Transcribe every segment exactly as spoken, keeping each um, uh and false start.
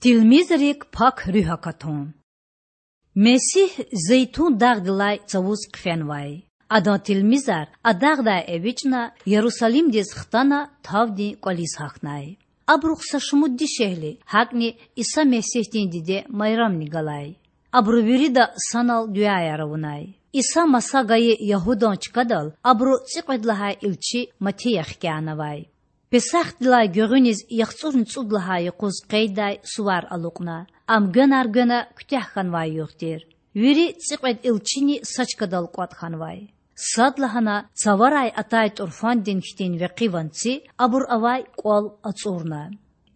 Тилмизрик Пак Руьгь акатун. Месигь Зейтун дагъдилай цавуз хъфенвай. Адан тилмизар а дагъдай эвичӀна, Ярусалимдиз хтана, тавдин кӀвализ гьахьнай. Абурухъ са шумуд дишегьли, гьакӀни Иса Месигьдин диде Майрамни галай. Абуру вирида санал дуьаяр авунай. Иса маса гайи Ягьудан чкадал абуру цӀикьвед лагьай илчи Матия хкянавай. Песахдилай гуьгъуьниз яхцӀурни цӀуд лагьай юкъуз къейддай сувар алукьна. Ам гвенар гвена куьтягь хьанвай югъ тир. Вири цӀикьвед илчини са чкадал кӀватӀ хьанвай. Садлагьана цаварай атай тӀурфандин хьтин векъи ванци абур авай кӀвал ацӀурна.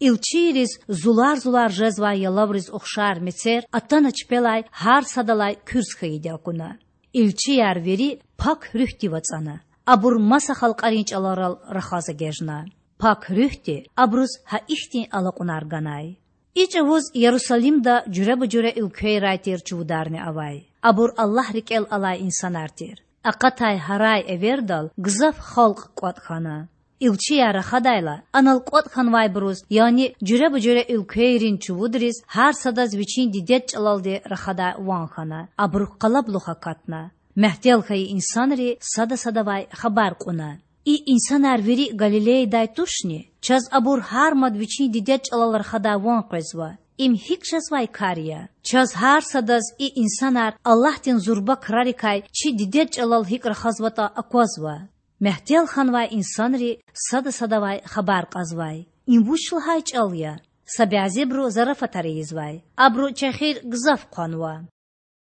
Илчийриз зулар-зулар жезвай ялавриз ухшар мецер атана чпелай гьар садалай куьрс хьайиди акуна. Илчияр вири Пак Руьгьдив ацӀана. Абур маса халкьарин чӀаларал рахаз эгечӀна. Пак Руьгьди абуруз гьа ихьтин алакьунар ганай. И чӀавуз Ярусалимда жуьреба-жуьре уьлквейрай тир чувударни авай. Абур Аллагь рикӀел алай инсанар тир. Акъатай гьарай-эвердал гзаф халкь кӀватӀ хьана. Илчияр рахадайла, анал кӀватӀ хьанвайбуруз, яни жуьреба-жуьре уьлквейрин чувудриз гьар садаз вичин дидед чӀалалди рахадай ван хьана. Абуру къалабулух акатна. Мягьтел хьайи инсанри сада садавай хабар кьуна: И инсанар вири Галилеядай тушни? Чаз абур гьар мад вичин дидед чӀалал рахадай ван къвезва. Им гьикӀ жезвай кар я? Чаз гьар садаз и инсанар Аллагьдин зурба крарикай чи дидед чӀалал гьикӀ рахазватӀа аквазва. Мягьтел хьанвай инсанри сада садавай хабар кьазвай: Им вуч лагьай чӀал я? Са бязибуру зарафатар ийизвай. Абуру чехир гзаф хъванва.